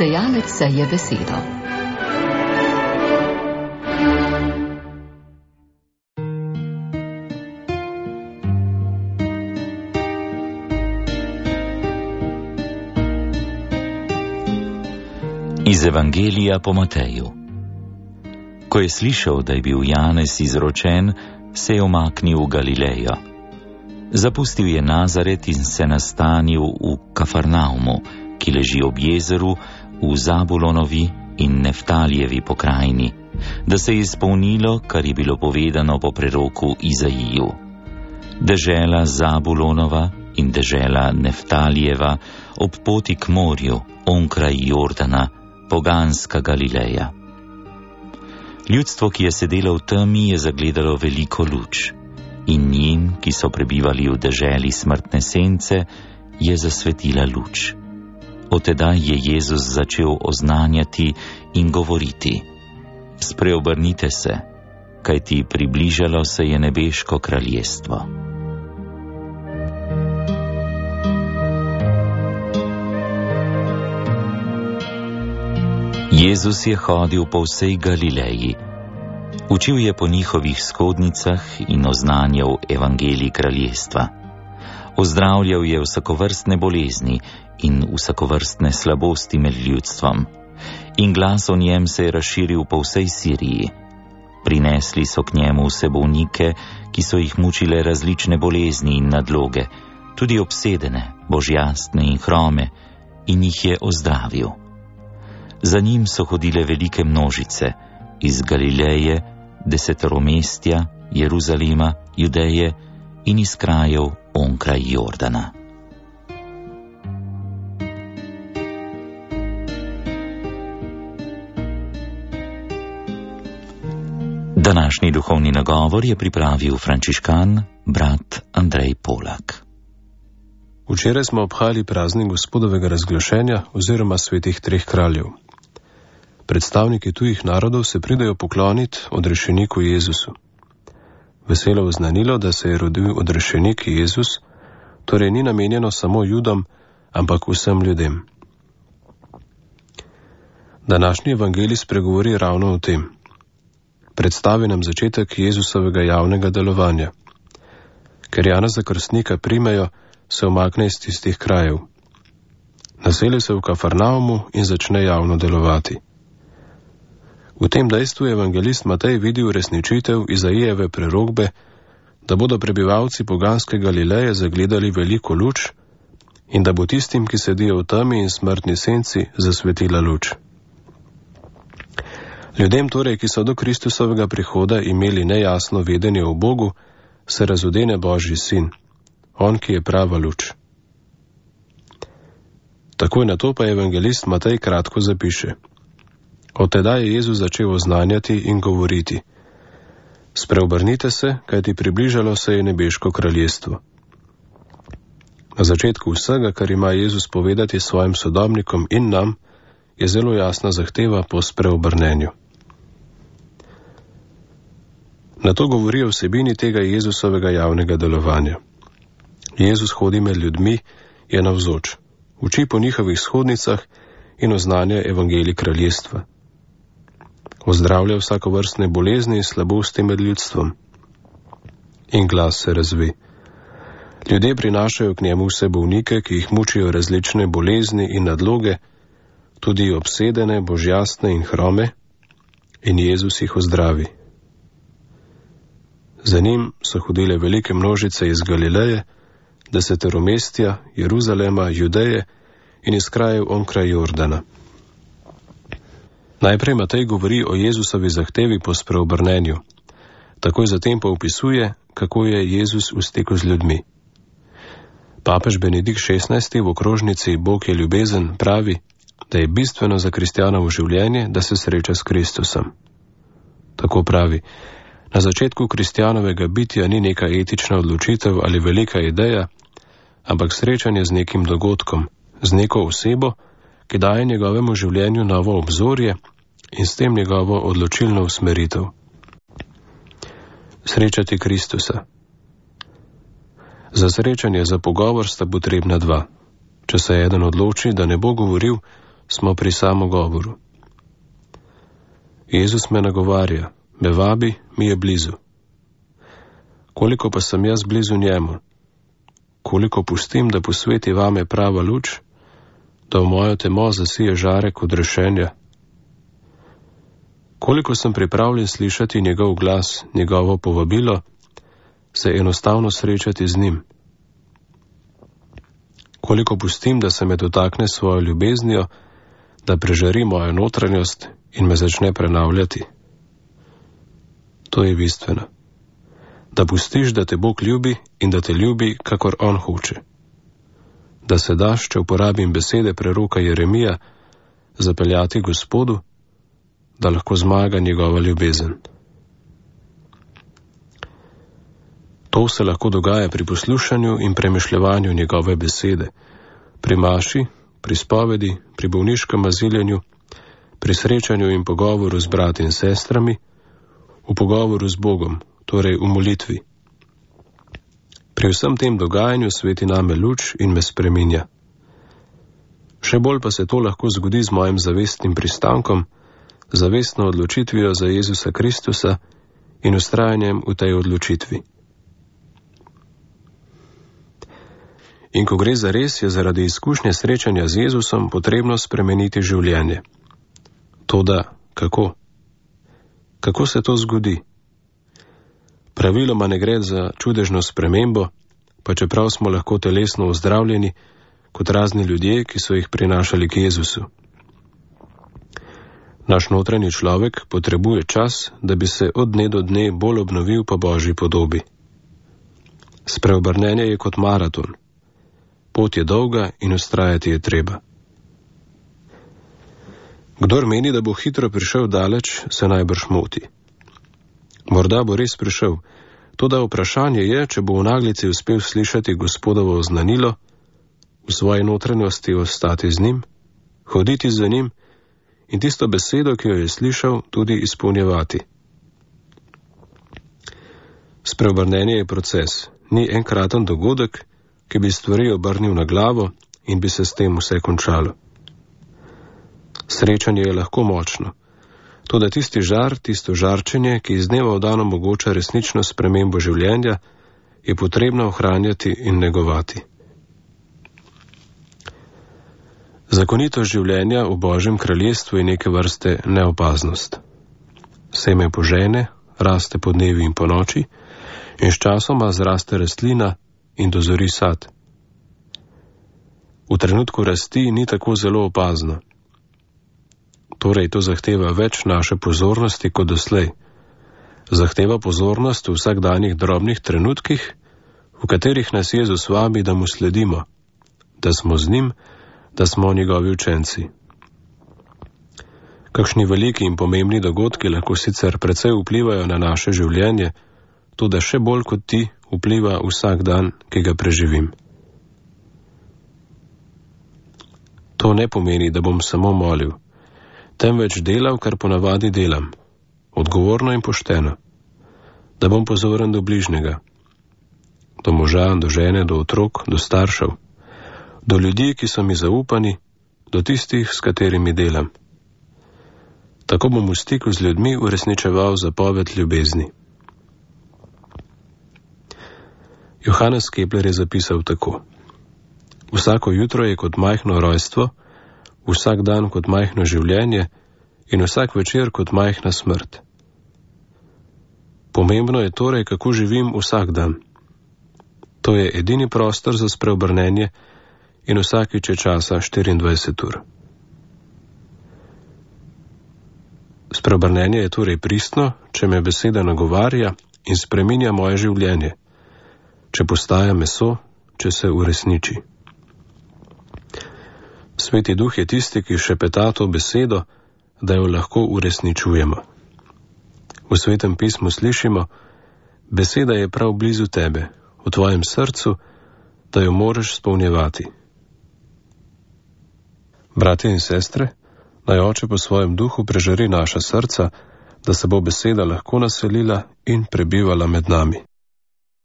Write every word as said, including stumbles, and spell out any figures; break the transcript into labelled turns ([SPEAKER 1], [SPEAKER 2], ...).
[SPEAKER 1] Sejalec seje besedo.
[SPEAKER 2] Iz Evangelija po Mateju. Ko je slišal, da je bil Janez izročen, se je umaknil v Galilejo. Zapustil je Nazaret in se nastanil v Kafarnaumu, ki leži ob jezeru v Zabulonovi in Neftalijevi pokrajini, da se je izpolnilo, kar je bilo povedano po preroku Izaiju. Dežela Zabulonova in dežela Neftalijeva ob poti k morju, onkraj Jordana, poganska Galileja. Ljudstvo, ki je sedelo v temi, je zagledalo veliko luč, in njim, ki so prebivali v deželi smrtne sence, je zasvetila luč. Od tedaj je Jezus začel oznanjati in govoriti: Spreobrnite se, kajti približalo se je nebeško kraljestvo. Jezus je hodil po vsej Galileji. Učil je po njihovih shodnicah in oznanjal evangelij kraljestva. Ozdravljal je vsakovrstne bolezni in vsakovrstne slabosti med ljudstvom. In glas o njem se je razširil po vsej Siriji. Prinesli so k njemu vse bolnike, ki so jih mučile različne bolezni in nadloge, tudi obsedene, božjastne in hrome, in jih je ozdravil. Za njim so hodile velike množice iz Galileje, deseteromestja, Jeruzalema, Judeje in iz krajev onkraj Jordana. Današnji duhovni nagovor je pripravil frančiškan brat Andrej Polak.
[SPEAKER 3] Včeraj smo obhajali praznik Gospodovega razglašenja oziroma svetih treh kraljev. Predstavniki tujih narodov se pridejo pokloniti odrešeniku Jezusu. Veselo oznanilo, da se je rodil odrešenik Jezus, torej ni namenjeno samo Judom, ampak vsem ljudem. Današnji evangelij spregovori ravno o tem. Predstavi nam začetek Jezusovega javnega delovanja. Ker Janeza Krstnika primejo, se umakne iz tistih krajev. Naseli se v Kafarnaumu in začne javno delovati. V tem dejstvu je evangelist Matej videl uresničitev Izaijeve prerokbe, da bodo prebivalci poganske Galileje zagledali veliko luč in da bo tistim, ki sedijo v temi in smrtni senci, zasvetila luč. Ljudem torej, ki so do Kristusovega prihoda imeli nejasno vedenje o Bogu, se razodene Božji sin, on, ki je prava luč. Takoj na to pa evangelist Matej kratko zapiše: Od tedaj je Jezus začel oznanjati in govoriti: Spreobrnite se, kajti približalo se je nebeško kraljestvo. Na začetku vsega, kar ima Jezus povedati svojim sodobnikom in nam, je zelo jasna zahteva po spreobrnenju. Na to govori o vsebini tega Jezusovega javnega delovanja. Jezus hodi med ljudmi, je navzoč, uči po njihovih shodnicah in oznanja evangelij kraljestva. Ozdravlja vsakovrstne bolezni in slabosti med ljudstvom. In glas se razve. Ljudje prinašajo k njemu vse bolnike, ki jih mučijo različne bolezni in nadloge, tudi obsedene, božjastne in hrome, in Jezus jih ozdravi. Za njim so hodile velike množice iz Galileje, deseteromestja, Jeruzalema, Judeje in iz krajev onkraj Jordana. Najprej Matej govori o Jezusovi zahtevi po spreobrnenju, takoj zatem pa opisuje, kako je Jezus v stiku z ljudmi. Papež Benedikt šestnajsti v okrožnici Bog je ljubezen pravi, da je bistveno za kristjanovo življenje, da se sreča s Kristusom. Tako pravi: na začetku kristjanovega bitja ni neka etična odločitev ali velika ideja, ampak srečanje z nekim dogodkom, z neko osebo, ki daje njegovemu življenju novo obzorje in s tem njegovo odločilno usmeritev. Srečati Kristusa. Za srečanje, za pogovor sta potrebna dva. Če se eden odloči, da ne bo govoril, smo pri samogovoru. Jezus me nagovarja, me vabi, mi je blizu. Koliko pa sem jaz blizu njemu? Koliko pustim, da posveti vame prava luč, da v mojo temo zasije žarek odrešenja? Koliko sem pripravljen slišati njegov glas, njegovo povabilo, se enostavno srečati z njim? Koliko pustim, da se me dotakne svojo ljubeznijo, da prežari mojo notranjost in me začne prenavljati? To je bistveno. Da pustiš, da te Bog ljubi in da te ljubi, kakor on hoče. Da se daš, če uporabim besede preroka Jeremija, zapeljati Gospodu, da lahko zmaga njegova ljubezen. To se lahko dogaja pri poslušanju in premišljevanju njegove besede, pri maši, pri spovedi, pri bolniškem aziljenju, pri srečanju in pogovoru z brati in sestrami, v pogovoru z Bogom, torej v molitvi. Pri vsem tem dogajanju sveti name luč in me spreminja. Še bolj pa se to lahko zgodi z mojim zavestnim pristankom, zavestno odločitvijo za Jezusa Kristusa in ustrajanjem v tej odločitvi. In ko gre za res, je zaradi izkušnje srečanja z Jezusom potrebno spremeniti življenje. Toda kako? Kako se to zgodi? Praviloma ne gre za čudežno spremembo, pa čeprav smo lahko telesno ozdravljeni, kot razni ljudje, ki so jih prinašali k Jezusu. Naš notranji človek potrebuje čas, da bi se od dne do dne bolj obnovil po Božji podobi. Spreobrnenje je kot maraton. Pot je dolga in ustrajati je treba. Kdor meni, da bo hitro prišel daleč, se najbrž moti. Morda bo res prišel, toda vprašanje je, če bo v naglici uspel slišati Gospodovo oznanilo, v svoji notranjosti ostati z njim, hoditi za njim in tisto besedo, ki jo je slišal, tudi izpolnjevati. Spreobrnenje je proces, ni enkraten dogodek, ki bi stvari obrnil na glavo in bi se s tem vse končalo. Srečanje je lahko močno, toda tisti žar, tisto žarčenje, ki iz dneva v dan omogoča resnično spremembo življenja, je potrebno ohranjati in negovati. Zakonitost življenja v Božjem kraljestvu je neke vrste neopaznost. Seme požene, raste po dnevi in po noči in sčasoma zraste rastlina in dozori sad. V trenutku rasti ni tako zelo opazno. Torej to zahteva več naše pozornosti kot doslej. Zahteva pozornost v vsakdanjih drobnih trenutkih, v katerih nas Jezus vabi, da mu sledimo, da smo z njim, da smo njegovi učenci. Kakšni veliki in pomembni dogodki lahko sicer precej vplivajo na naše življenje, toda še bolj kot ti vpliva vsak dan, ki ga preživim. To ne pomeni, da bom samo molil, temveč delal, kar ponavadi delam, odgovorno in pošteno, da bom pozoren do bližnjega, do moža, do žene, do otrok, do staršev, do ljudi, ki so mi zaupani, do tistih, s katerimi delam. Tako bom v stiku z ljudmi uresničeval zapoved ljubezni. Johannes Kepler je zapisal tako: vsako jutro je kot majhno rojstvo, vsak dan kot majhno življenje in vsak večer kot majhna smrt. Pomembno je torej, kako živim vsak dan. To je edini prostor za spreobrnenje in vsakič je časa štiriindvajset ur. Spreobrnenje je torej pristno, če me beseda nagovarja in spreminja moje življenje, če postaja meso, če se uresniči. Sveti Duh je tisti, ki šepeta to besedo, da jo lahko uresničujemo. V Svetem pismu slišimo: beseda je prav blizu tebe, v tvojem srcu, da jo moraš spolnjevati. Bratje in sestre, naj Oče po svojem duhu prežari naša srca, da se bo beseda lahko naselila in prebivala med nami.